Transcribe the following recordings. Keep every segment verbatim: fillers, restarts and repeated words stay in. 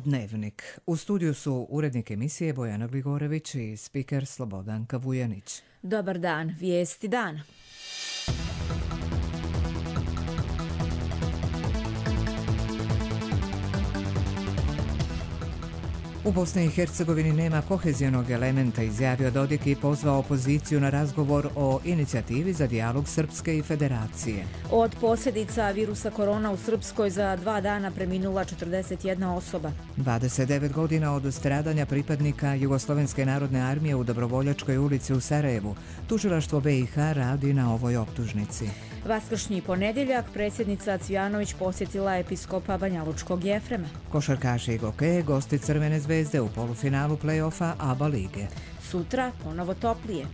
Dnevnik. U studiju su urednik emisije Bojana Gligorević i spiker Slobodanka Vujanić. Dobar dan, vijesti dana. U Bosni i Hercegovini nema kohezionog elementa, izjavio Dodik i pozvao opoziciju na razgovor o inicijativi za dijalog Srpske i Federacije. Od posljedica virusa korona u Srpskoj za dva dana preminula četrdeset jedna osoba. dvadeset devet godina od stradanja pripadnika Jugoslovenske narodne armije u Dobrovoljačkoj ulici u Sarajevu. Tužilaštvo B i H radi na ovoj optužnici. Vaskršnji ponedjeljak predsjednica Cvijanović posjetila episkopa Banjalučkog Jefrema. Košarkaši i gokeje gosti Crvene zvezde u polufinalu play-offa A B A lige. Sutra ponovo toplije.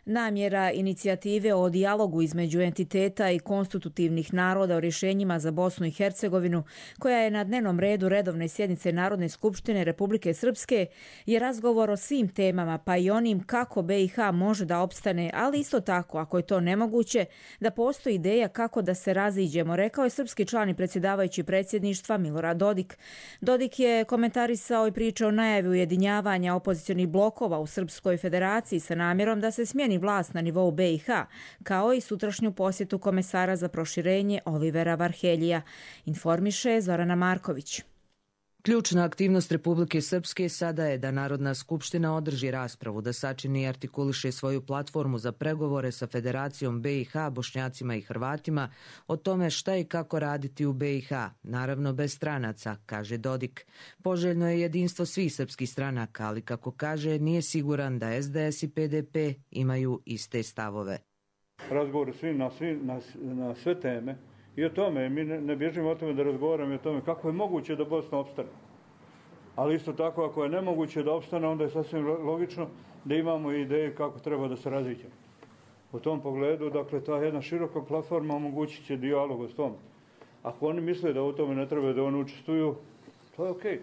Namjera inicijative o dijalogu između entiteta i konstitutivnih naroda o rješenjima za Bosnu i Hercegovinu, koja je na dnevnom redu redovne sjednice Narodne skupštine Republike Srpske, je razgovor o svim temama, pa i onim kako B i H može da opstane, ali isto tako, ako je to nemoguće, da postoji ideja kako da se raziđemo, rekao je srpski član i predsjedavajući predsjedništva Milorad Dodik. Dodik je komentarisao i pričao o najavi ujedinjavanja opozicionih blokova u Srpskoj federaciji sa namjerom da se smijeni vlast na nivou B i H, kao i sutrašnju posjetu komesara za proširenje Olivera Varheljija, informiše Zorana Marković. Ključna aktivnost Republike Srpske sada je da Narodna skupština održi raspravu, da sačini i artikuliše svoju platformu za pregovore sa Federacijom B i H, Bošnjacima i Hrvatima o tome šta i kako raditi u B i H, naravno bez stranaca, kaže Dodik. Poželjno je jedinstvo svih srpskih stranaka, ali kako kaže, nije siguran da S D S i P D P imaju iste stavove. Razgovor svi na, svi, na, na sve teme. I o tome, mi ne, ne bježimo o tome da razgovaramo o tome kako je moguće da Bosna opstane. Ali isto tako, ako je nemoguće da opstane, onda je sasvim logično da imamo ideje kako treba da se raziđemo. U tom pogledu, dakle, ta jedna široka platforma omogućit će dijalog o tom. Ako oni misle da u tome ne treba da oni učestvuju, to je okej.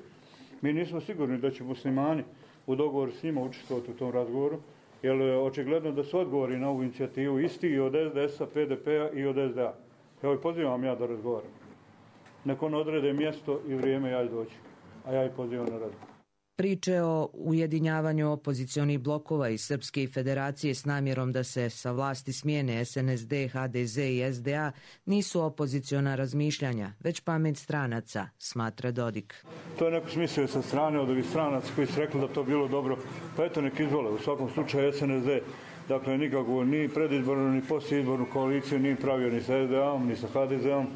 Mi nismo sigurni da će muslimani u dogovoru s njima učestvovati u tom razgovoru, jer je očigledno da su odgovori na ovu inicijativu isti i od S D S-a, P D P-a i od S D A. Evo i pozivam ja da razgovaram. Nek on odrede mjesto i vrijeme, ja doći. A ja i pozivam na razgovor. Priče o ujedinjavanju opozicionih blokova iz Srpske i Federacije s namjerom da se sa vlasti smijene S N S D, H D Z i S D A nisu opoziciona razmišljanja, već pamet stranaca, smatra Dodik. To je neko smislio sa strane od ovih stranaca koji su rekli da to bilo dobro. Pa eto nek izvole, u svakom slučaju S N S D. Dakle, nikakvu ni predizbornu, ni postizbornu koaliciju nije pravio ni sa S D A-om, ni sa H D Z-om.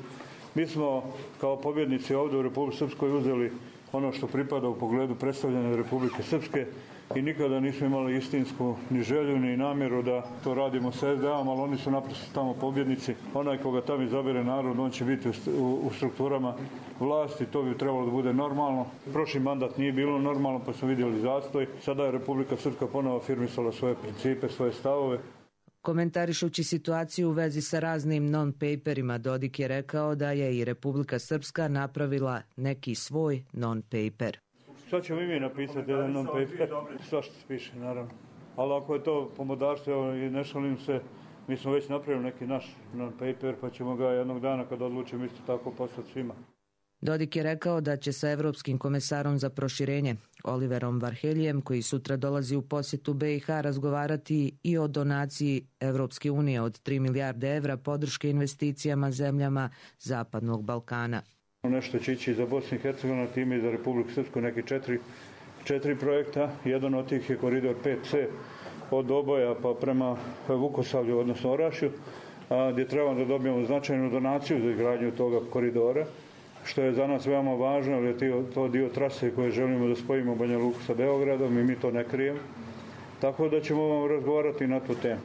Mi smo kao pobjednici ovdje u Republike Srpskoj uzeli ono što pripada u pogledu predstavljanja Republike Srpske i nikada nismo imali istinsku ni želju, ni namjeru da to radimo sa S D A-om, ali oni su naprosto tamo pobjednici. Onaj koga tamo izabere narod, on će biti u, u strukturama vlasti, to bi trebalo da bude normalno. Prošli mandat nije bilo normalno, pa smo vidjeli zastoj. Sada je Republika Srpska ponovo afirmisala svoje principe, svoje stavove. Komentarišući situaciju u vezi sa raznim non-paperima, Dodik je rekao da je i Republika Srpska napravila neki svoj non-paper. Sad ćemo i mi napisati jedan non-paper, svašta se piše, naravno. Ali ako je to pomodarstvo i ne šalim se, mi smo već napravili neki naš non-paper, pa ćemo ga jednog dana kad odlučimo isto tako poslati svima. Dodik je rekao da će sa Evropskim komesarom za proširenje Oliverom Varheljijem, koji sutra dolazi u posjetu B i H, razgovarati i o donaciji Evropske unije od tri milijarde evra podrške investicijama zemljama Zapadnog Balkana. Nešto će ići za Bosnu i Hercegovinu, time i za Republiku Srpsku neki četiri, četiri projekta. Jedan od tih je koridor pet C od Oboja pa prema Vukosavlju, odnosno Orašju, a, gdje trebamo da dobijemo značajnu donaciju za izgradnju toga koridora, što je za nas veoma važno, jer je to dio trase koje želimo da spojimo Banja Luku sa Beogradom i mi to ne krijemo. Tako da ćemo vam razgovarati na tu temu.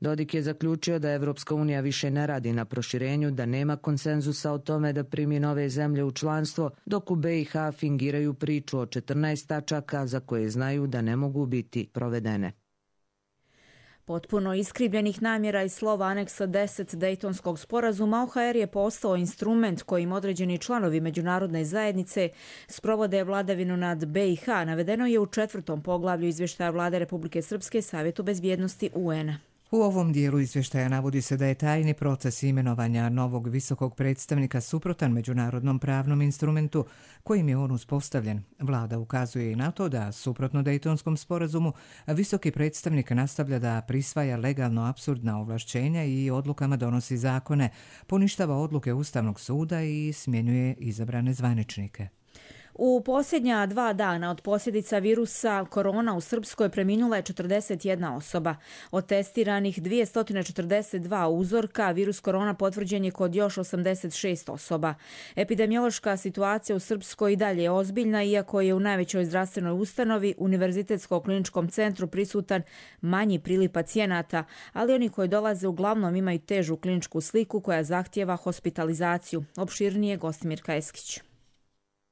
Dodik je zaključio da Evropska unija više ne radi na proširenju, da nema konsenzusa o tome da primi nove zemlje u članstvo, dok u B i H fingiraju priču o četrnaest tačaka za koje znaju da ne mogu biti provedene. Potpuno iskrivljenih namjera i slova aneksa deset Dejtonskog sporazuma O H R je postao instrument kojim određeni članovi međunarodne zajednice sprovode vladavinu nad B i H, navedeno je u četvrtom poglavlju izvještaja Vlade Republike Srpske Savjetu bezbjednosti U N-a. U ovom dijelu izvještaja navodi se da je tajni proces imenovanja novog visokog predstavnika suprotan međunarodnom pravnom instrumentu kojim je on uspostavljen. Vlada ukazuje i na to da, suprotno Dejtonskom sporazumu, visoki predstavnik nastavlja da prisvaja legalno apsurdna ovlašćenja i odlukama donosi zakone, poništava odluke Ustavnog suda i smjenjuje izabrane zvaničnike. U posljednja dva dana od posljedica virusa korona u Srpskoj preminula je četrdeset jedna osoba. Od testiranih dvjesto četrdeset dva uzorka virus korona potvrđen je kod još osamdeset šest osoba. Epidemiološka situacija u Srpskoj i dalje je ozbiljna, iako je u najvećoj zdravstvenoj ustanovi, Univerzitetskom kliničkom centru, prisutan manji priliv pacijenata, ali oni koji dolaze uglavnom imaju težu kliničku sliku koja zahtijeva hospitalizaciju. Opširnije Gostimirka Eskić.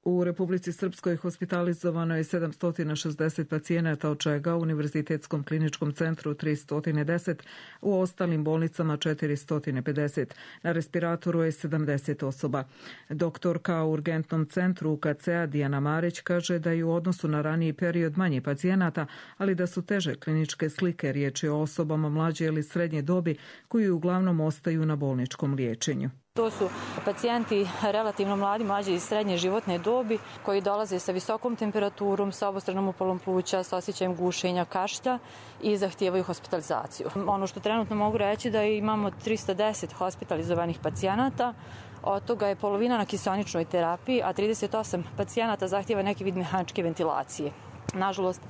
U Republici Srpskoj hospitalizovano je sedamsto šezdeset pacijenata, od čega u Univerzitetskom kliničkom centru tristo deset, u ostalim bolnicama četiristo pedeset. Na respiratoru je sedamdeset osoba. Doktorka u urgentnom centru U K C-a Dijana Marić kaže da je u odnosu na raniji period manje pacijenata, ali da su teže kliničke slike. Riječ je o osobama mlađe ili srednje dobi koji uglavnom ostaju na bolničkom liječenju. To su pacijenti relativno mladi, mlađe i srednje životne dobi koji dolaze sa visokom temperaturom, sa obostranom upalom pluća, sa osjećajem gušenja, kašlja i zahtijevaju hospitalizaciju. Ono što trenutno mogu reći da imamo tristo deset hospitalizovanih pacijenata, od toga je polovina na kiseoničnoj terapiji, a trideset osam pacijenata zahtijeva neki vid mehaničke ventilacije. Nažalost,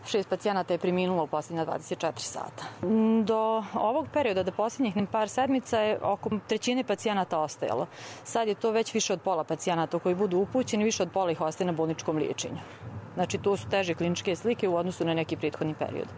šest pacijenata je preminulo u posljednja dvadeset četiri sata. Do ovog perioda, do posljednjih par sedmica, je oko trećine pacijenata ostajalo. Sad je to već više od pola pacijenata koji budu upućeni, više od pola ih ostaje na bolničkom liječenju. Znači, to su teže kliničke slike u odnosu na neki prethodni period.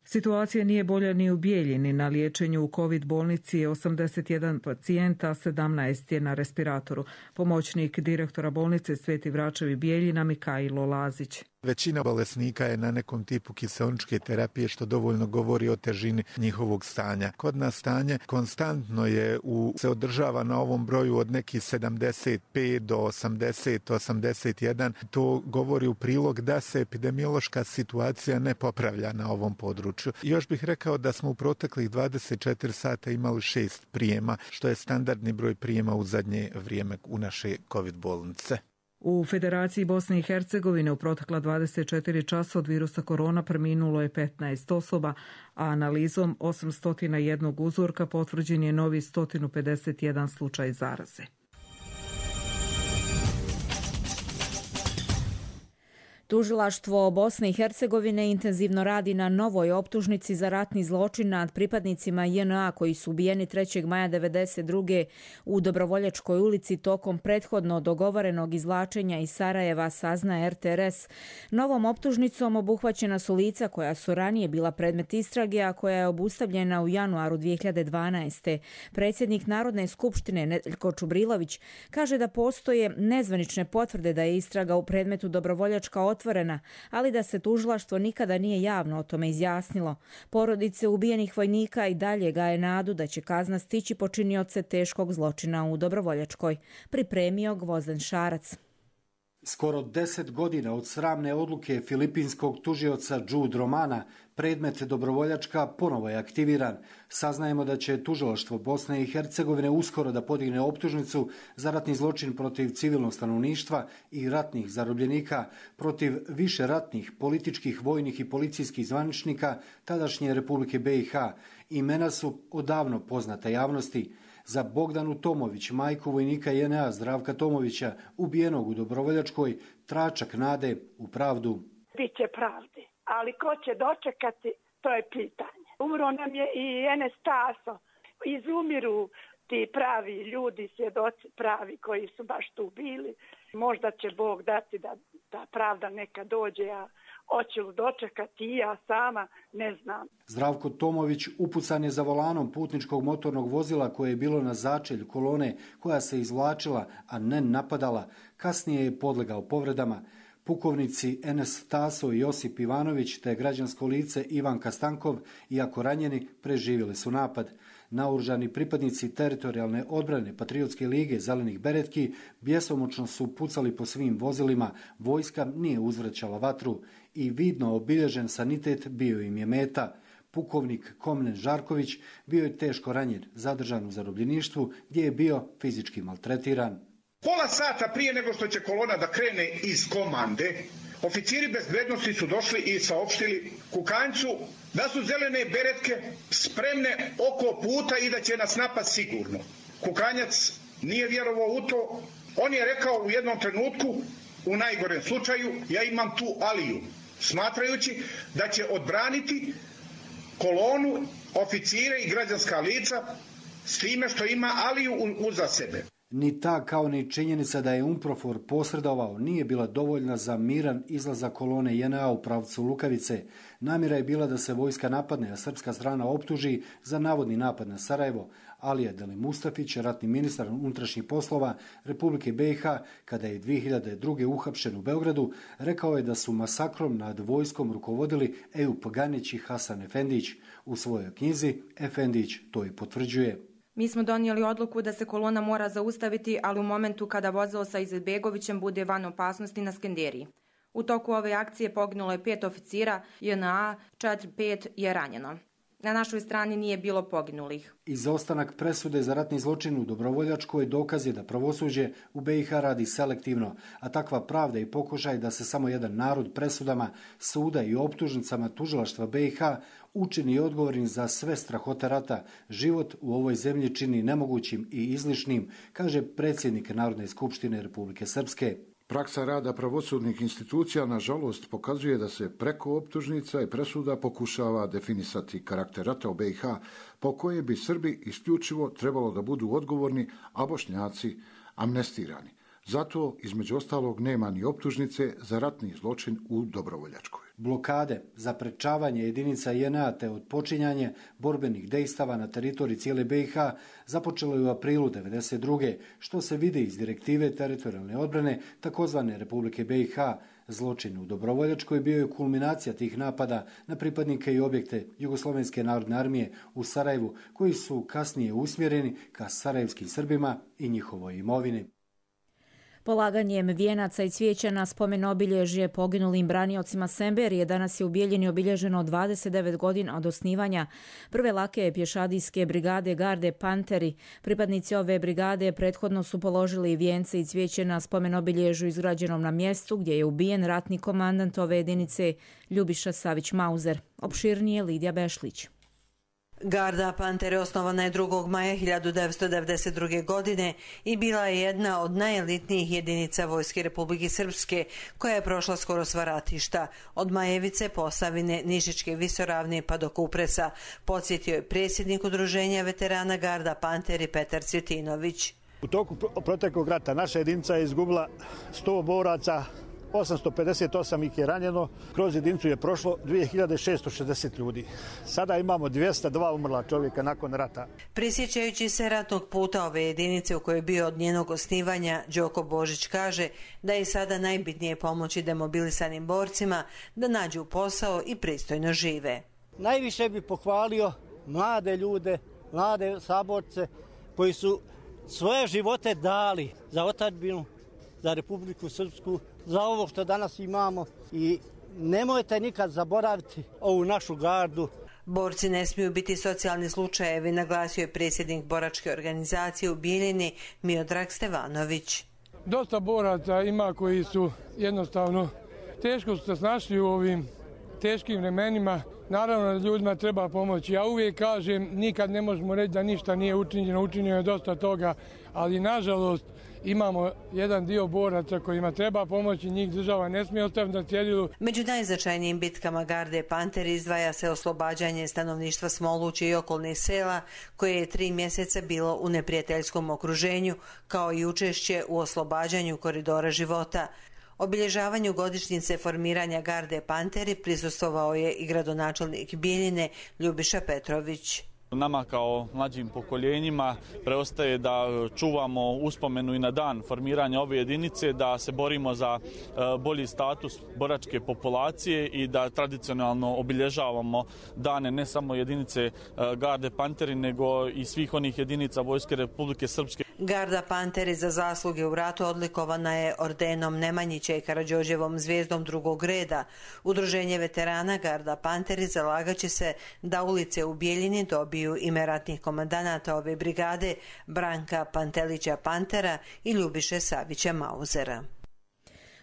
Situacija nije bolja ni u Bijeljini. Na liječenju u COVID bolnici je osamdeset jedan pacijenta, a sedamnaest je na respiratoru. Pomoćnik direktora bolnice Sveti Vračevi Bijeljina Mikajlo Lazić. Većina bolesnika je na nekom tipu kiseoničke terapije, što dovoljno govori o težini njihovog stanja. Kod nas stanje konstantno je u, se održava na ovom broju od nekih sedamdeset pet do osamdeset, osamdeset jedan. To govori u prilog da se epidemiološka situacija ne popravlja na ovom području. Još bih rekao da smo u proteklih dvadeset četiri sata imali šest prijema, što je standardni broj prijema u zadnje vrijeme u naše COVID bolnice. U Federaciji Bosne i Hercegovine u protekla dvadeset četiri časa od virusa korona preminulo je petnaest osoba, a analizom osamsto jedan uzorka potvrđen je novi sto pedeset jedan slučaj zaraze. Tužilaštvo Bosne i Hercegovine intenzivno radi na novoj optužnici za ratni zločin nad pripadnicima J N A koji su ubijeni trećeg maja devedeset druge u Dobrovoljačkoj ulici tokom prethodno dogovorenog izvlačenja iz Sarajeva, sazna R T R S. Novom optužnicom obuhvaćena su lica koja su ranije bila predmet istrage, a koja je obustavljena u januaru dvije hiljade dvanaeste. Predsjednik Narodne skupštine Nedeljko Čubrilović kaže da postoje nezvanične potvrde da je istraga u predmetu Dobrovoljačka otvorena, ali da se tužilaštvo nikada nije javno o tome izjasnilo. Porodice ubijenih vojnika i dalje gaje nadu da će kazna stići počinioce teškog zločina u Dobrovoljačkoj. Pripremio Gvozden Šarac. Skoro deset godina od sramne odluke filipinskog tužioca Jude Romana, predmet Dobrovoljačka ponovo je aktiviran. Saznajemo da će tužilaštvo Bosne i Hercegovine uskoro da podigne optužnicu za ratni zločin protiv civilnog stanovništva i ratnih zarobljenika, protiv više ratnih, političkih, vojnih i policijskih zvaničnika tadašnje Republike B i H. Imena su odavno poznata javnosti. Za Bogdanu Tomović, majku vojnika J N A Zdravka Tomovića, ubijenog u Dobrovoljačkoj, tračak nade u pravdu. Biće pravde, ali ko će dočekati, to je pitanje. Umro nam je i Enes Taso. Izumiru ti pravi ljudi, svjedoci pravi koji su baš tu bili. Možda će Bog dati da ta pravda neka dođe, a hoće li dočekati i ja sama, ne znam. Zdravko Tomović upucan je za volanom putničkog motornog vozila koje je bilo na začelju kolone koja se izvlačila, a ne napadala. Kasnije je podlegao povredama. Pukovnici Enes Taso i Josip Ivanović te građansko lice Ivan Kastankov, iako ranjeni, preživjeli su napad. Naoružani pripadnici teritorijalne odbrane Patriotske lige Zelenih beretki bjesomučno su pucali po svim vozilima, vojska nije uzvraćala vatru i vidno obilježen sanitet bio im je meta. Pukovnik Komnen Žarković bio je teško ranjen, zadržan u zarobljeništvu gdje je bio fizički maltretiran. Pola sata prije nego što će kolona da krene iz komande, oficiri bezbednosti su došli i saopštili Kukanjcu da su zelene beretke spremne oko puta i da će nas napast sigurno. Kukanjac nije vjerovao u to. On je rekao u jednom trenutku, u najgorem slučaju, ja imam tu Aliju, smatrajući da će odbraniti kolonu, oficire i građanska lica s time što ima Aliju uza sebe. Ni ta kao ni činjenica da je UNPROFOR posredovao nije bila dovoljna za miran izlazak kolone J N A u pravcu Lukavice. Namjera je bila da se vojska napadne, a srpska strana optuži za navodni napad na Sarajevo. Alija Deli Mustafić, ratni ministar unutrašnjih poslova Republike B i H, kada je dvije hiljade druge. uhapšen u Beogradu, rekao je da su masakrom nad vojskom rukovodili Ejup Ganić i Hasan Efendić. U svojoj knjizi Efendić to i potvrđuje. Mi smo donijeli odluku da se kolona mora zaustaviti, ali u momentu kada vozilo sa Izetbegovićem bude van opasnosti na Skenderiji. U toku ove akcije poginulo je pet oficira J N A, četiri pet je ranjeno. Na našoj strani nije bilo poginulih. Izostanak presude za ratni zločin u Dobrovoljačkoj dokaz je da pravosuđe u B i H radi selektivno, a takva pravda i pokušaj da se samo jedan narod presudama suda i optužnicama tužilaštva B i H učini odgovornim za sve strahote rata, život u ovoj zemlji čini nemogućim i izlišnim, kaže predsjednik Narodne skupštine Republike Srpske. Praksa rada pravosudnih institucija, nažalost, pokazuje da se preko optužnica i presuda pokušava definisati karakter rata u B i H, po koje bi Srbi isključivo trebalo da budu odgovorni, a Bošnjaci amnestirani. Zato, između ostalog, nema ni optužnice za ratni zločin u Dobrovoljačkoj. Blokade, zaprečavanje jedinica J N A te odpočinjanje borbenih dejstava na teritoriji cijele B i H započelo je u aprilu devedeset druge. što se vidi iz direktive teritorijalne odbrane takozvane Republike B i H. Zločin u Dobrovoljačkoj bio je kulminacija tih napada na pripadnike i objekte Jugoslovenske narodne armije u Sarajevu, koji su kasnije usmjereni ka sarajevskim Srbima i njihovoj imovini. Polaganjem vijenaca i cvijeća na spomen obilježje poginulim braniocima Semberije danas je u Bijeljini obilježeno dvadeset devet godina od osnivanja prve lake pješadijske brigade Garde Panteri. Pripadnici ove brigade prethodno su položili vijence i cvijeće na spomen obilježju izgrađenom na mjestu gdje je ubijen ratni komandant ove jedinice Ljubiša Savić-Mauzer. Opširnije Lidija Bešlić. Garda Pantere osnovana je drugog maja hiljadu devetsto devedeset druge. godine i bila je jedna od najelitnijih jedinica Vojske Republike Srpske, koja je prošla skoro sva ratišta, od Majevice, Posavine, Nišičke visoravne pa do Kupresa, podsjetio je predsjednik udruženja veterana Garda Panteri Petar Cvjetinović. U toku proteklog rata naša jedinica je izgubila sto boraca, osamsto pedeset osam ih je ranjeno, kroz jedinicu je prošlo dvije hiljade šesto šezdeset ljudi. Sada imamo dvjesto dva umrla čovjeka nakon rata. Prisjećajući se ratnog puta ove jedinice u kojoj je bio od njenog osnivanja, Đoko Božić kaže da je sada najbitnije pomoći demobilisanim borcima da nađu posao i pristojno žive. Najviše bi pohvalio mlade ljude, mlade saborce koji su svoje živote dali za otadžbinu, za Republiku Srpsku, za ovo što danas imamo i nemojte nikad zaboraviti ovu našu gardu. Borci ne smiju biti socijalni slučajevi, naglasio je predsjednik boračke organizacije u Bijeljini Miodrag Stevanović. Dosta boraca ima koji su jednostavno teško su se snašli u ovim teškim vremenima. Naravno da ljudima treba pomoći. Ja uvijek kažem, nikad ne možemo reći da ništa nije učinjeno, učinjeno je dosta toga, ali nažalost imamo jedan dio boraca kojima treba pomoći, njih država ne smije ostaviti na cjedilu. Među najznačajnijim bitkama Garde Panteri izdvaja se oslobađanje stanovništva Smoluće i okolnih sela, koje je tri mjeseca bilo u neprijateljskom okruženju, kao i učešće u oslobađanju koridora života. Obilježavanju godišnjice formiranja Garde Panteri prisustvovao je i gradonačelnik Bijeljine Ljubiša Petrović. Nama kao mlađim pokoljenjima preostaje da čuvamo uspomenu i na dan formiranja ove jedinice, da se borimo za bolji status boračke populacije i da tradicionalno obilježavamo dane ne samo jedinice Garde Panteri, nego i svih onih jedinica Vojske Republike Srpske. Garda Panteri za zasluge u ratu odlikovana je ordenom Nemanjića i Karađorđevom zvijezdom drugog reda. Udruženje veterana Garda Panteri zalagaće se da ulice u Bijeljini dobiju ime ratnih komandanata ove brigade Branka Pantelića Pantera i Ljubiše Savića Mauzera.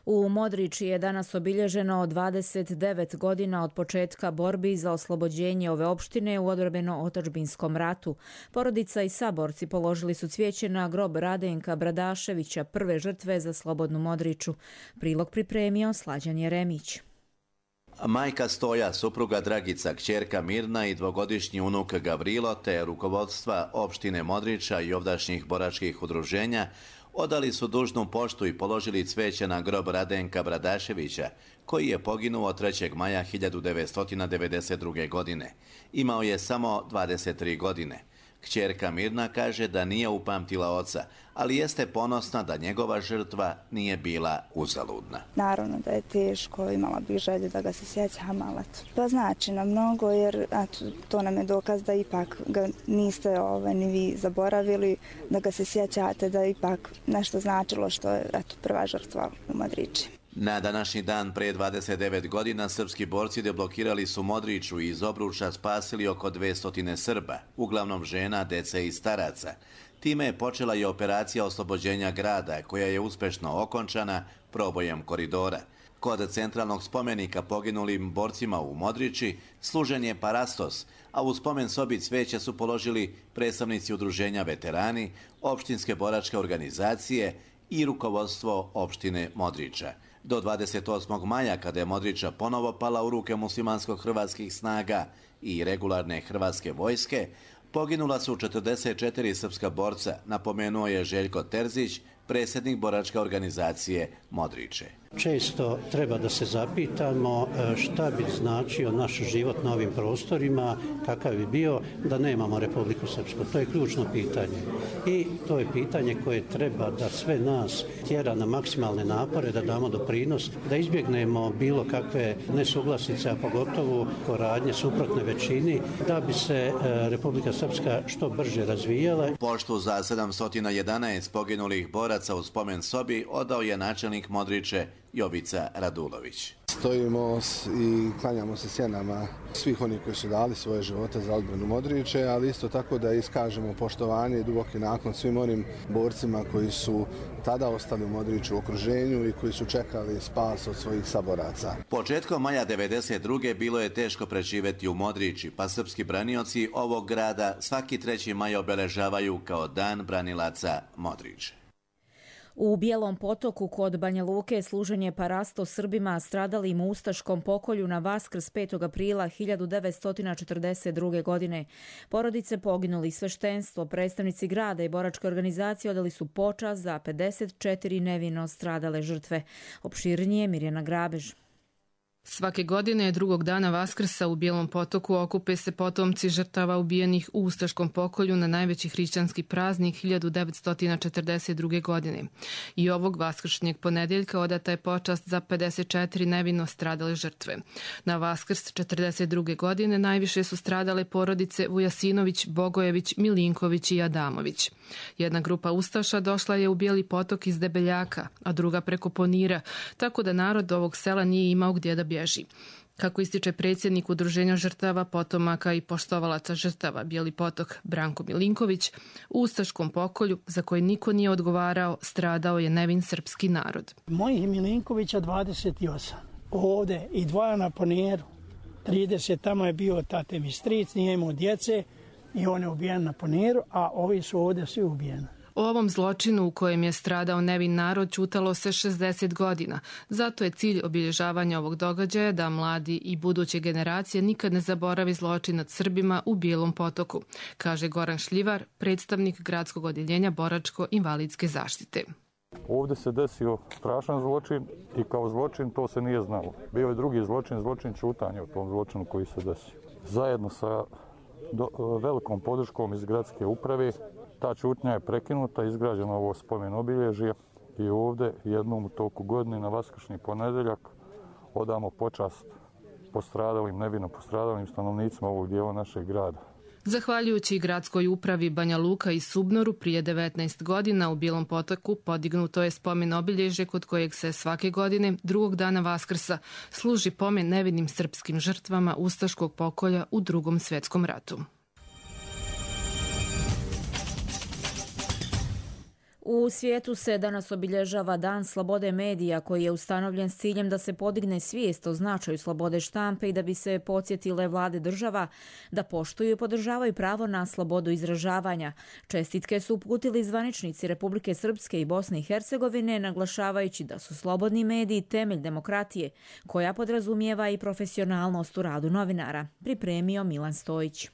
U Modriči je danas obilježeno dvadeset devet godina od početka borbi za oslobođenje ove opštine u odbrambeno-otadžbinskom ratu. Porodica i saborci položili su cvijeće na grob Radenka Bradaševića, prve žrtve za slobodnu Modriču. Prilog pripremio Slađan Jeremić. Majka Stoja, supruga Dragica, kćerka Mirna i dvogodišnji unuk Gavrilo te rukovodstva opštine Modriča i ovdašnjih boračkih udruženja odali su dužnu poštu i položili cveće na grob Radenka Bradaševića, koji je poginuo trećeg maja hiljadu devetsto devedeset druge. godine. Imao je samo dvadeset tri godine. Kćerka Mirna kaže da nije upamtila oca, ali jeste ponosna da njegova žrtva nije bila uzaludna. Naravno da je teško, imala bih želju da ga se sjećam, ali pa znači nam mnogo, jer eto, to nam je dokaz da ipak ga niste ovaj, ni vi zaboravili, da ga se sjećate, da ipak nešto značilo što je eto, prva žrtva u Modriči. Na današnji dan pre dvadeset devet godina srpski borci deblokirali su Modriču i iz obruča spasili oko dvesta Srba, uglavnom žena, dece i staraca. Time je počela i operacija oslobođenja grada, koja je uspešno okončana probojem koridora. Kod centralnog spomenika poginulim borcima u Modriči služen je parastos, a u spomen sobi cveće su položili predstavnici udruženja veterani, opštinske boračke organizacije i rukovodstvo opštine Modriča. Do dvadeset osmog maja, kada je Modriča ponovo pala u ruke muslimansko-hrvatskih snaga i regularne hrvatske vojske, poginula su četrdeset četiri srpska borca, napomenuo je Željko Terzić, predsjednik boračke organizacije Modriče. Često treba da se zapitamo šta bi značio naš život na ovim prostorima, kakav bi bio da nemamo Republiku Srpsku. To je ključno pitanje. I to je pitanje koje treba da sve nas tjera na maksimalne napore, da damo doprinos, da izbjegnemo bilo kakve nesuglasice, a pogotovo koradnje suprotne većini, da bi se Republika Srpska što brže razvijala. Poštu za sedamsto jedanaest poginulih boraca u spomen sobi odao je načelnik Modriče Jovica Radulović. Stojimo i klanjamo se sjenama svih onih koji su dali svoje živote za odbranu Modriče, ali isto tako da iskažemo poštovanje i duboki naklon svim onim borcima koji su tada ostali u Modriču u okruženju i koji su čekali spas od svojih saboraca. Početkom maja devedeset druge bilo je teško preživjeti u Modriči, pa srpski branioci ovog grada svaki treći maj obeležavaju kao dan branilaca Modriče. U Bijelom Potoku kod Banja Luke služen je parasto Srbima stradalim u ustaškom pokolju na Vaskrs petog aprila hiljadu devetsto četrdeset druge. godine. Porodice poginuli, sveštenstvo, predstavnici grada i boračke organizacije odali su počast za pedeset četiri nevino stradale žrtve. Opširnije Mirjana Grabež. Svake godine drugog dana Vaskrsa u Bijelom Potoku okupe se potomci žrtava ubijenih u ustaškom pokolju na najveći hrišćanski praznik hiljadu devetsto četrdeset druge. godine. I ovog vaskršnjeg ponedjeljka odata je počast za pedeset četiri nevino stradale žrtve. Na Vaskrs četrdeset druge. godine najviše su stradale porodice Vujasinović, Bogojević, Milinković i Adamović. Jedna grupa ustaša došla je u Bijeli Potok iz Debeljaka, a druga preko Ponira, tako da narod ovog sela nije imao gdje da bježi. Kako ističe predsjednik Udruženja žrtava, potomaka i poštovalaca žrtava Bijeli Potok Branko Milinković, u ustaškom pokolju za koji niko nije odgovarao, stradao je nevin srpski narod. Mojih Milinkovića dvadeset osam, ovde i dvoja na Poniru, trideset, tamo je bio tate mi stric, nije imao djece i on je ubijen na Poniru, a ovi su ovde svi ubijeni. O ovom zločinu u kojem je stradao nevin narod ćutalo se šezdeset godina. Zato je cilj obilježavanja ovog događaja da mladi i buduće generacije nikad ne zaboravi zločin nad Srbima u Bijelom Potoku, kaže Goran Šljivar, predstavnik gradskog odjeljenja boračko-invalidske zaštite. Ovdje se desio strašan zločin i kao zločin to se nije znalo. Bio je drugi zločin, zločin ćutanja u tom zločinu koji se desio. Zajedno sa do, velikom podrškom iz gradske uprave ta ćutnja je prekinuta, izgrađeno ovo spomen obilježje i ovdje jednom u toku godine na vaskršnji ponedjeljak odamo počast postradalim, nevino postradalim stanovnicima ovog dijela našeg grada. Zahvaljujući gradskoj upravi Banja Luka i Subnoru prije devetnaest godina u Bijelom Potoku podignuto je spomen obilježje kod kojeg se svake godine drugog dana Vaskrsa služi pomen nevinim srpskim žrtvama ustaškog pokolja u Drugom svjetskom ratu. U svijetu se danas obilježava Dan slobode medija koji je ustanovljen s ciljem da se podigne svijest o značaju slobode štampe i da bi se podsjetile vlade država da poštuju i podržavaju pravo na slobodu izražavanja. Čestitke su uputili zvaničnici Republike Srpske i Bosne i Hercegovine, naglašavajući da su slobodni mediji temelj demokratije koja podrazumijeva i profesionalnost u radu novinara. Pripremio Milan Stojić.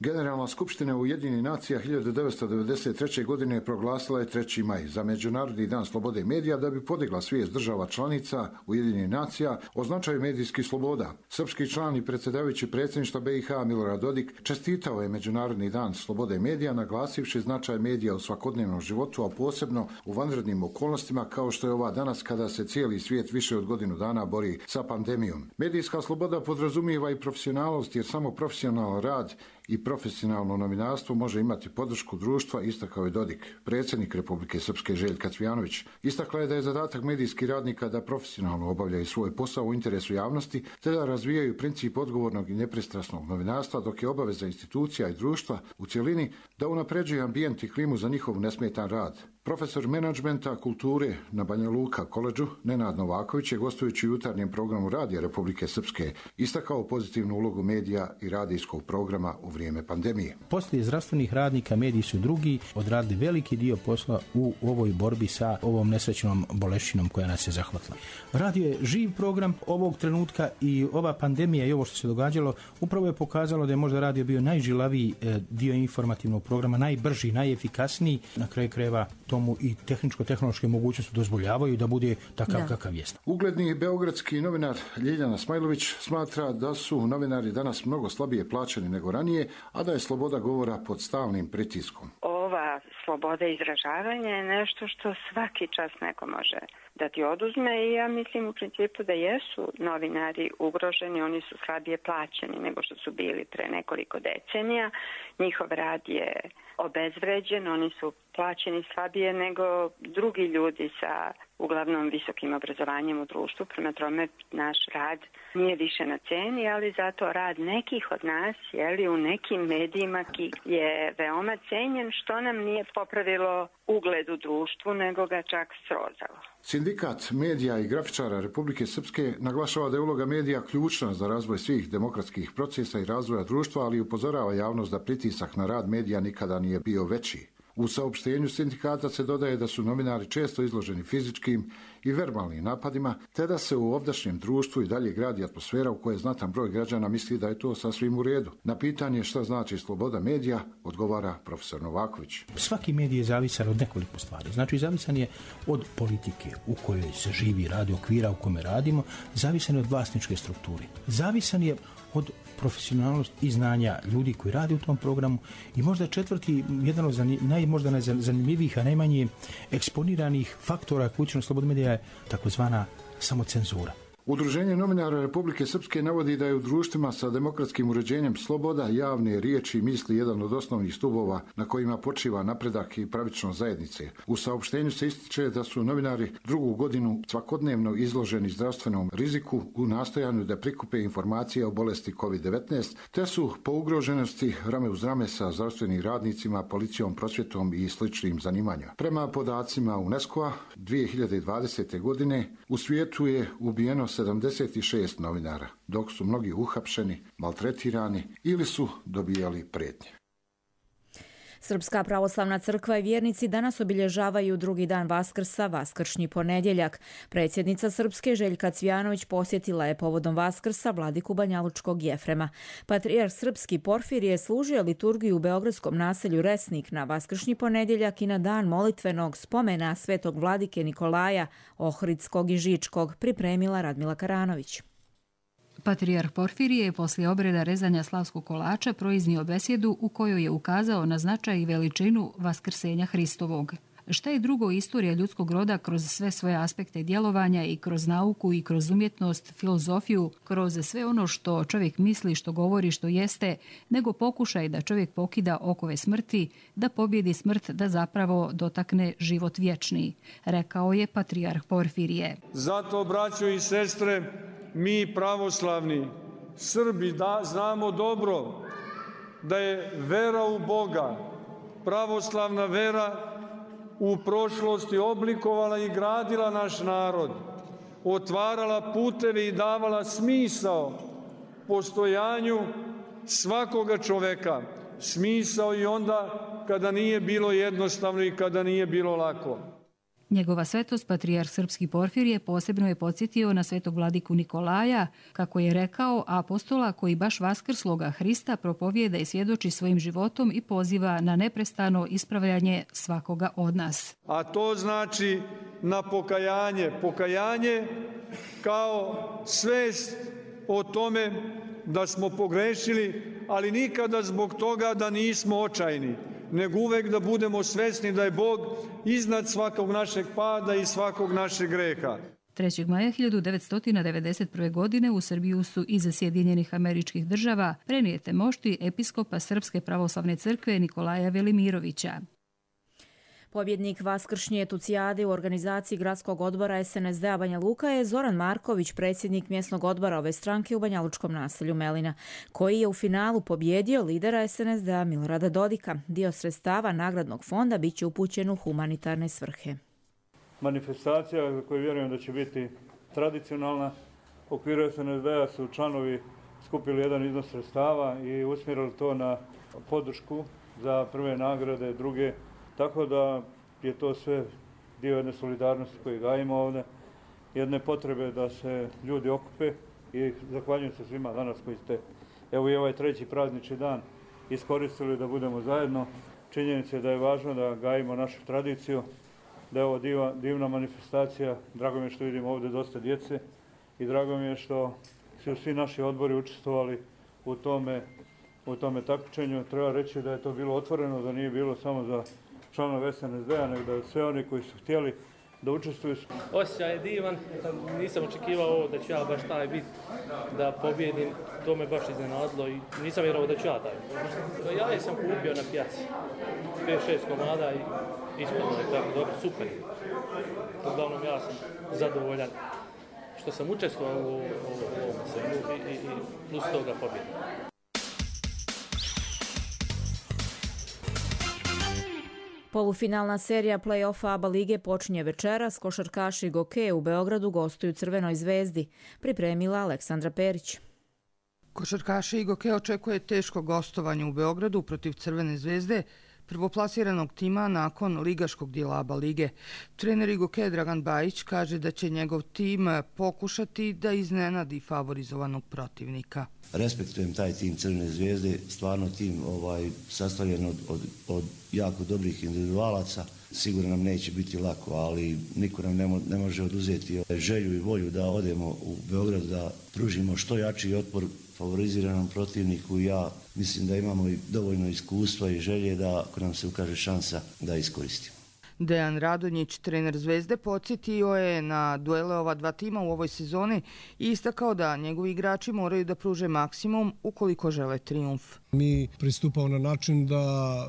Generalna skupština Ujedinjenih nacija hiljadu devetsto devedeset treće. godine proglasila je treći maj za Međunarodni dan slobode medija da bi podigla svijest država članica Ujedinjenih nacija o značaju medijskih sloboda. Srpski član i predsjedavajući predsjedništva B i H Milorad Dodik čestitao je Međunarodni dan slobode medija naglasivši značaj medija u svakodnevnom životu, a posebno u vanrednim okolnostima kao što je ova danas kada se cijeli svijet više od godinu dana bori sa pandemijom. Medijska sloboda podrazumijeva i profesionalnost jer samo profesionalan rad i profesionalno novinarstvo može imati podršku društva, istakao je Dodik. Predsjednik Republike Srpske Željka Cvijanović istakla je da je zadatak medijskih radnika da profesionalno obavljaju svoj posao u interesu javnosti te da razvijaju princip odgovornog i nepristrasnog novinarstva, dok je obaveza institucija i društva u cjelini da unapređuju ambijent i klimu za njihov nesmetan rad. Profesor menadžmenta kulture na Banja Luka koledžu Nenad Novaković je gostujući u jutarnjem programu Radija Republike Srpske istakao pozitivnu ulogu medija i radijskog programa u vrijeme pandemije. Poslije zdravstvenih radnika mediji su drugi odradili veliki dio posla u ovoj borbi sa ovom nesrećnom boleščinom koja nas je zahvatila. Radio je živ program ovog trenutka i ova pandemija i ovo što se događalo upravo je pokazalo da je možda radio bio najžilaviji dio informativnog programa, najbrži, najefikasniji, na kraju krajeva tomu i tehničko-tehnološke mogućnosti dozvoljavaju da bude takav da. kakav jest. Ugledni beogradski novinar Ljiljana Smajlović smatra da su novinari danas mnogo slabije plaćeni nego ranije, a da je sloboda govora pod stalnim pritiskom. Ova sloboda izražavanja je nešto što svaki čas neko može da ti oduzme i ja mislim u principu da jesu novinari ugroženi, oni su slabije plaćeni nego što su bili pre nekoliko decenija. Njihov rad je obezvređen, oni su plaćeni slabije nego drugi ljudi sa uglavnom visokim obrazovanjem u društvu. Prema tome naš rad nije više na ceni, ali zato rad nekih od nas jeli, u nekim medijima je veoma cenjen, što nam nije popravilo ugled u društvu, nego ga čak srozalo. Sindikat medija i grafičara Republike Srpske naglašava da je uloga medija ključna za razvoj svih demokratskih procesa i razvoja društva, ali upozorava javnost da pritisak na rad medija nikada nije bio veći. U saopštenju sindikata se dodaje da su novinari često izloženi fizičkim i verbalnim napadima, te da se u ovdašnjem društvu i dalje gradi atmosfera u kojoj znatan broj građana misli da je to sasvim u redu. Na pitanje šta znači sloboda medija, odgovara profesor Novaković. Svaki medij je zavisan od nekoliko stvari. Znači, zavisan je od politike u kojoj se živi, radi, okvira u kome radimo, zavisan je od vlasničke strukture, zavisan je od profesionalnosti i znanja ljudi koji rade u tom programu i možda četvrti, jedan od naj, možda najzanimljivijih, a najmanje eksponiranih faktora koji utiču na slobodu medija je takozvana samocenzura. Udruženje novinara Republike Srpske navodi da je u društvima sa demokratskim uređenjem sloboda javne riječi i misli jedan od osnovnih stubova na kojima počiva napredak i pravičnost zajednice. U saopštenju se ističe da su novinari drugu godinu svakodnevno izloženi zdravstvenom riziku u nastojanju da prikupe informacije o bolesti kovid devetnaest, te su po ugroženosti rame uz rame sa zdravstvenim radnicima, policijom, prosvjetom i sličnim zanimanjima. Prema podacima UNESCO-a dvije hiljade dvadesete. godine u svijetu je ubijeno sedamdeset šest novinara, dok su mnogi uhapšeni, maltretirani ili su dobijali prijetnje. Srpska pravoslavna crkva i vjernici danas obilježavaju drugi dan Vaskrsa, vaskršnji ponedjeljak. Predsjednica Srpske Željka Cvijanović posjetila je povodom Vaskrsa vladiku banjalučkog Jefrema. Patrijarh srpski Porfirije služio liturgiju u beogradskom naselju Resnik na vaskršnji ponedjeljak i na dan molitvenog spomena svetog vladike Nikolaja Ohridskog i Žičkog, pripremila Radmila Karanović. Patrijarh Porfirije je poslije obreda rezanja slavskog kolača proiznio besjedu u kojoj je ukazao na značaj i veličinu vaskrsenja Hristovog. Šta je drugo istorija ljudskog roda kroz sve svoje aspekte djelovanja i kroz nauku i kroz umjetnost, filozofiju, kroz sve ono što čovjek misli, što govori, što jeste, nego pokušaj da čovjek pokida okove smrti, da pobjedi smrt, da zapravo dotakne život vječni, rekao je patrijarh Porfirije. Zato, braćo i sestre, mi pravoslavni Srbi da, znamo dobro da je vera u Boga, pravoslavna vera u prošlosti oblikovala i gradila naš narod, otvarala puteve i davala smisao postojanju svakoga čoveka, smisao i onda kada nije bilo jednostavno i kada nije bilo lako. Njegova svetost, patrijarh srpski Porfirije, posebno je podsjetio na svetog vladiku Nikolaja, kako je rekao, apostola koji baš vaskrsloga Hrista propovijeda i svjedoči svojim životom i poziva na neprestano ispravljanje svakoga od nas. A to znači na pokajanje. Pokajanje kao svest o tome da smo pogrešili, ali nikada zbog toga da nismo očajni, nego uvek da budemo svesni da je Bog iznad svakog našeg pada i svakog našeg greha. trećeg maja hiljadu devetsto devedeset prve. godine u Srbiju su iz Sjedinjenih Američkih Država prenijete mošti episkopa Srpske pravoslavne crkve Nikolaja Velimirovića. Pobjednik vaskršnje tucijade u organizaciji gradskog odbora es en es de a Banja Luka je Zoran Marković, predsjednik mjesnog odbora ove stranke u banjalučkom naselju Melina, koji je u finalu pobjedio lidera es en es de a Milorada Dodika. Dio sredstava nagradnog fonda bit će upućen u humanitarne svrhe. Manifestacija za koju vjerujem da će biti tradicionalna, u okviru es en es de a su članovi skupili jedan iznos sredstava i usmjerili to na podršku za prve nagrade, druge. Tako da je to sve dio jedne solidarnosti koje gajimo ovdje, jedne potrebe da se ljudi okupe i zahvaljujem se svima danas koji ste, evo i ovaj treći praznični dan, iskoristili da budemo zajedno. Činjenica je da je važno da gajimo našu tradiciju, da je ovo diva, divna manifestacija. Drago mi je što vidimo ovdje dosta djece i drago mi je što su svi naši odbori učestvovali u tome, u tome takmičenju. Treba reći da je to bilo otvoreno, da nije bilo samo za članove es en es de a, nego da sve oni koji su htjeli da učestvuju. Osjećaj je divan, nisam očekivao ovo da ću ja baš taj bit da pobjedim, to me baš iznenadilo i nisam vjerovao da ću ja taj. Ja sam kupio na pijaci, pet šest komada i ispuno je tako dobro, super. Uglavnom ja sam zadovoljan što sam učestvovao u, u, u ovom svemu i, i, i plus toga pobjedim. Polufinalna serija play-offa ABA lige počinje večeras. Košarkaši Goke u Beogradu gostuju Crvenoj zvezdi. Pripremila Aleksandra Perić. Košarkaši Goke očekuje teško gostovanje u Beogradu protiv Crvene zvezde, prvoplasiranog tima nakon ligaškog dijela ABA lige. Trener Igoke Dragan Bajić kaže da će njegov tim pokušati da iznenadi favorizovanog protivnika. Respektujem taj tim Crvene zvezde, stvarno tim ovaj, sastavljen od, od, od jako dobrih individualaca. Sigurno nam neće biti lako, ali niko nam ne, mo, ne može oduzeti želju i volju da odemo u Beograd, da pružimo što jači otpor favoriziranom protivniku. Ja mislim da imamo i dovoljno iskustva i želje da ako nam se ukaže šansa da iskoristimo. Dejan Radonjić, trener Zvezde, podsjetio je na duele ova dva tima u ovoj sezoni i istakao da njegovi igrači moraju da pruže maksimum ukoliko žele trijumf. Mi pristupamo na način da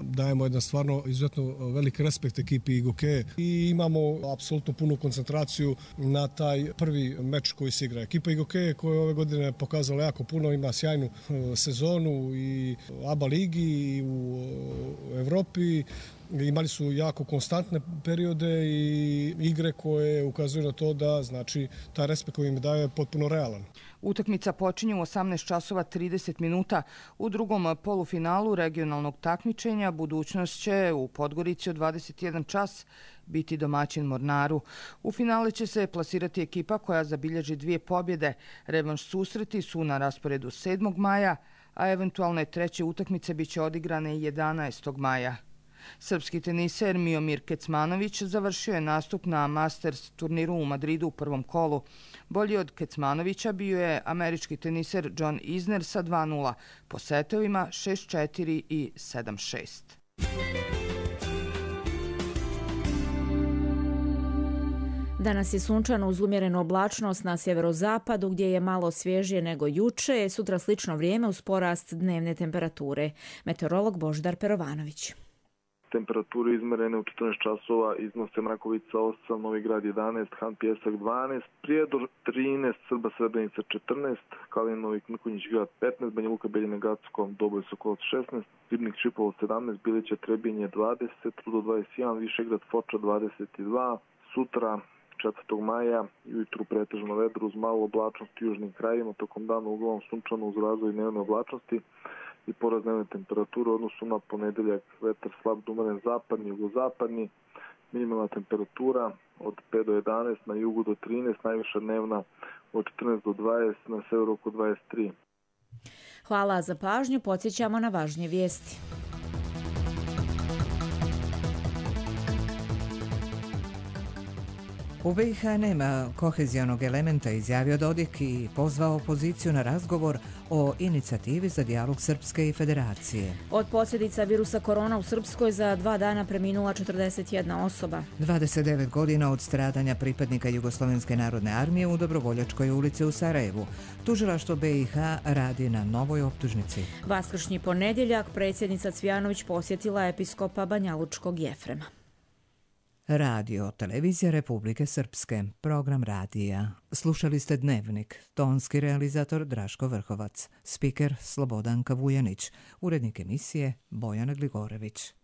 dajemo jedan stvarno izuzetno velik respekt ekipi Igoke i imamo apsolutno punu koncentraciju na taj prvi meč koji se igra. Ekipa Igoke koja je ove godine pokazala jako puno, ima sjajnu sezonu i ABA ligi i u Evropi. Imali su jako konstantne periode i igre koje ukazuju na to da znači taj respekt koji im daje je potpuno realan. Utakmica počinje u osamnaest časova trideset minuta. U drugom polufinalu regionalnog takmičenja budućnost će u Podgorici od dvadeset jedan čas biti domaćin Mornaru. U finale će se plasirati ekipa koja zabilježi dvije pobjede. Revanš susreti su na rasporedu sedmog maja, a eventualne treće utakmice biće odigrane jedanaestog maja. Srpski teniser Miomir Kecmanović završio je nastup na Masters turniru u Madridu u prvom kolu. Bolji od Kecmanovića bio je američki teniser John Isner sa dva nula po setovima šest četiri i sedam šest. Danas je sunčano uz umjerenu oblačnost na sjeverozapadu gdje je malo svježije nego juče, sutra slično vrijeme uz porast dnevne temperature. Meteorolog Božidar Perovanović. Temperature izmerene u četrnaest časova iznose Mrakovica osam, Novi Grad jedanaest, Han Pjesak dvanaest, Prijedor trinaest, Srba Srebrenica četrnaest, Kalinovik Mrkonjić grad petnaest, Banja Luka Beljina Gacko, Doboj Sokolac šesnaest, Ribnik Šipovo sedamnaest, Bilića Trebinje dvadeset, Rudo dvadeset jedan, Višegrad Foča dvadeset dva, sutra četvrtog maja ujutru pretežno vedro uz malu oblačnost u južnim krajevima, tokom dana uglavnom sunčano uz razvoj dnevne oblačnosti i porast dnevne temperature u odnosu na ponedeljak, vetar slab do umeren zapadni, jugozapadni, minimalna temperatura od pet do jedanaest, na jugu do trinaest, najviša dnevna od četrnaest do dvadeset, na severu oko dvadeset tri. Hvala za pažnju, podsjećamo na važnije vijesti. U B i H nema kohezionog elementa, izjavio Dodik i pozvao opoziciju na razgovor o inicijativi za dijalog Srpske i Federacije. Od posljedica virusa korona u Srpskoj za dva dana preminula četrdeset jedna osoba. dvadeset devet godina od stradanja pripadnika Jugoslovenske narodne armije u Dobrovoljačkoj ulici u Sarajevu. Tužilaštvo B i H radi na novoj optužnici. Vaskršnji ponedjeljak predsjednica Cvijanović posjetila episkopa Banjalučkog Jefrema. Radio, televizija Republike Srpske, program radija. Slušali ste Dnevnik, tonski realizator Draško Vrhovac, spiker Slobodanka Vujanić, urednik emisije Bojana Gligorević.